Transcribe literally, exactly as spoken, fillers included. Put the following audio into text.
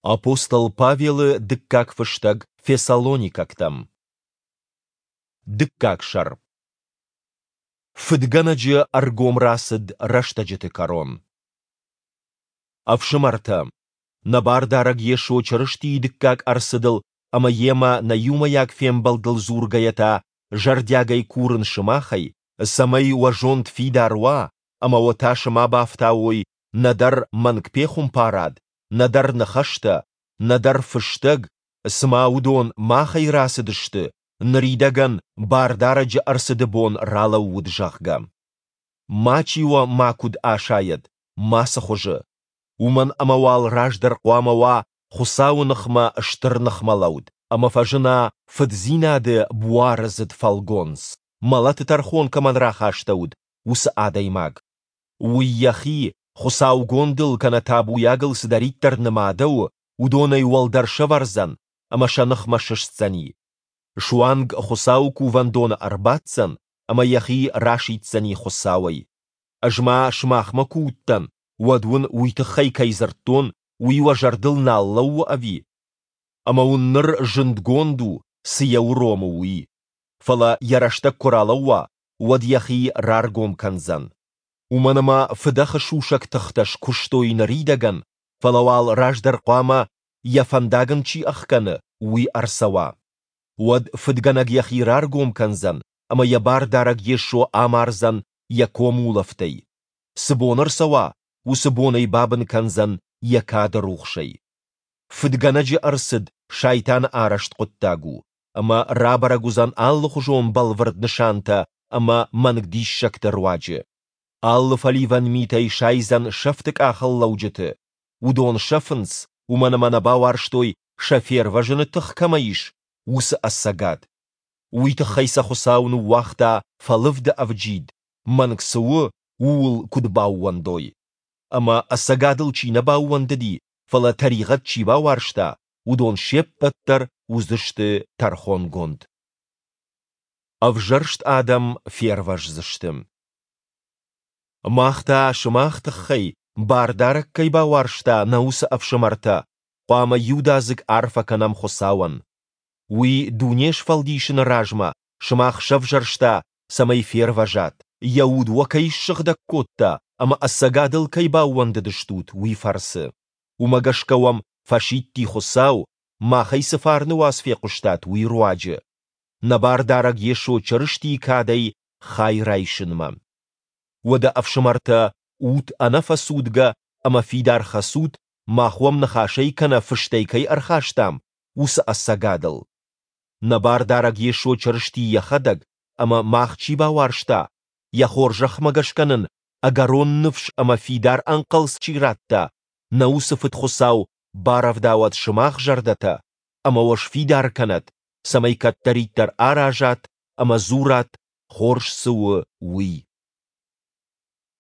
Апостол Павелы дыккаг фыстӕг Фессалоникӕгтӕм. Дыккаг сӕр. Фыдгӕнӕджы ӕргом рацыд рӕстӕджыты кӕрон. Ӕфсымӕртӕ, нӕ Бардарӕг Йесо Чырыстийы дыккаг ӕрцыдыл ӕмӕ Йемӕ нӕ иумӕйаг фембӕлдыл дзургӕйӕ та зӕрдиагӕй курын сымахӕй, цӕмӕй уӕ зонд фидар уа ӕмӕ уӕ тасы ма бафтауой нӕдӕр мӕнгпехуымпарад, нӕдӕр ныхӕстӕ, нӕдӕр фыстӕг, цыма уыдон махӕй рацыдысты, ныридӕгӕн Бардарӕджы ӕрцыды бон ралӕууыд, зӕгъгӕ. Мачи уӕ макуыд асайӕд, мацы хуызы. Уымӕн ӕмӕ уал раздӕр хъуамӕ уа Хуыцауы ныхмӕ стыр ныхмӕлӕуд, ӕмӕ фӕзына фыддзинады буарыдзыд фӕлгонц, мӕлӕты тӕрхон кӕмӕн рахастӕуыд, уыцы адӕймаг. Уый йӕхи, хуыцаугондыл кӕнӕ табуйагыл цыдӕриддӕр нымадӕуы, уыдонӕй уӕлдӕр сӕвӕрдзӕн ӕмӕ сӕ ныхмӕ сыстдзӕни. Суанг Хуыцауы кувӕндоны ӕрбаддзӕн ӕмӕ йӕхи расиддзӕни Хуыцауӕй. Ӕз ма сымахмӕ куы уыдтӕн, уӕд уын уый тыххӕй кӕй дзырдтон, уый уӕ зӕрдыл нал лӕууы ӕви? Ӕмӕ уын ныр зындгонд у, цы йӕ уромы, уый. Фӕлӕ йӕ рӕстӕг куы ралӕууа, уӕд йӕхи раргом кӕндзӕн. Уымӕн ӕмӕ фыдӕхы сусӕг тыхтӕ скуыстой ныридӕгӕн, фӕлӕ уал раздӕр хъуамӕ, йӕ фӕндаг ын чи ӕхгӕны, уый ӕрцӕуа. Уӕд фыдгӕнӕг йӕхи раргом кӕндзӕн ӕмӕ йӕ Бардарӕг Йесо амардзӕн йӕ комулӕфтӕй. Цы бон ӕрцӕуа, уыцы бон ӕй бабын кӕндзӕн йӕ кады рухсӕй. Фыдгӕнӕджы ӕрцыд сайтаны арӕзт хъуыддаг у, ӕмӕ рабӕрӕг уыдзӕн алыхуызон бӕлвырд нысантӕ ӕмӕ мӕнг диссӕгты руаджы. Алы фӕливӕн митӕй сайдзӕн сӕфты къахыл лӕуджыты. Уыдон сӕфынц, уымӕн ӕмӕ нӕ бауарзтой, сӕ фервӕзыны тых кӕмӕ ис, уыцы ӕцӕгад. Уый тыххӕй сӕ Хуыцау ныууагъта фӕлывды ӕвджид, мӕнг цы у, ууыл куыд баууӕндой. Ӕмӕ ӕцӕгадыл чи нӕ баууӕндыди, фӕлӕ тӕригъӕд чи бауарзта, уыдон се ппӕт дӕр уыдзысты тӕрхонгонд. Ӕвзӕрст адӕм фервӕздзысты. Мах та сымах тыххӕй, Бардарӕг кӕй бауарзта, нӕ уыцы ӕфсымӕртӕ, хъуамӕ иудадзыг арфӕ кӕнӕм Хуыцауӕн. Уый дуне сфӕлдисыны размӕ сымах сӕвзӕрста, цӕмӕй фервӕзат, Йӕ Уд уӕ кӕй ссыгъдӕг кодта ӕмӕ ӕцӕгадыл кӕй баууӕндыдыстут, уый фӕрцы. Уымӕ гӕсгӕ уӕм фӕсидти Хуыцау, махӕй цы фарны уац фехъуыстат, уый руаджы, нӕ Бардарӕг Йесо Чырыстийы кадӕй хай райсынмӕ. Уӕдӕ, ӕфсымӕртӕ, ут ӕнӕфӕцудгӕ ӕмӕ фидар хӕцут, мах уӕм ныхасӕй кӕнӕ фыстӕй кӕй ӕрхастам, уыцы ӕцӕгадыл. Нӕ Бардарӕг Йесо Чырысти Йӕхӕдӕг ӕмӕ мах чи бауарзта, Йӕ хорзӕхмӕ гӕсгӕ нын ӕгӕрон ныфс ӕмӕ фидар ӕнхъӕлц чи радта, нӕ уыцы Фыд Хуыцау барӕвдауӕд сымах зӕрдӕтӕ ӕмӕ уӕ сфидар кӕнӕд, цӕмӕй кӕддӕриддӕр аразат ӕмӕ дзурат, хорз цы у, уый.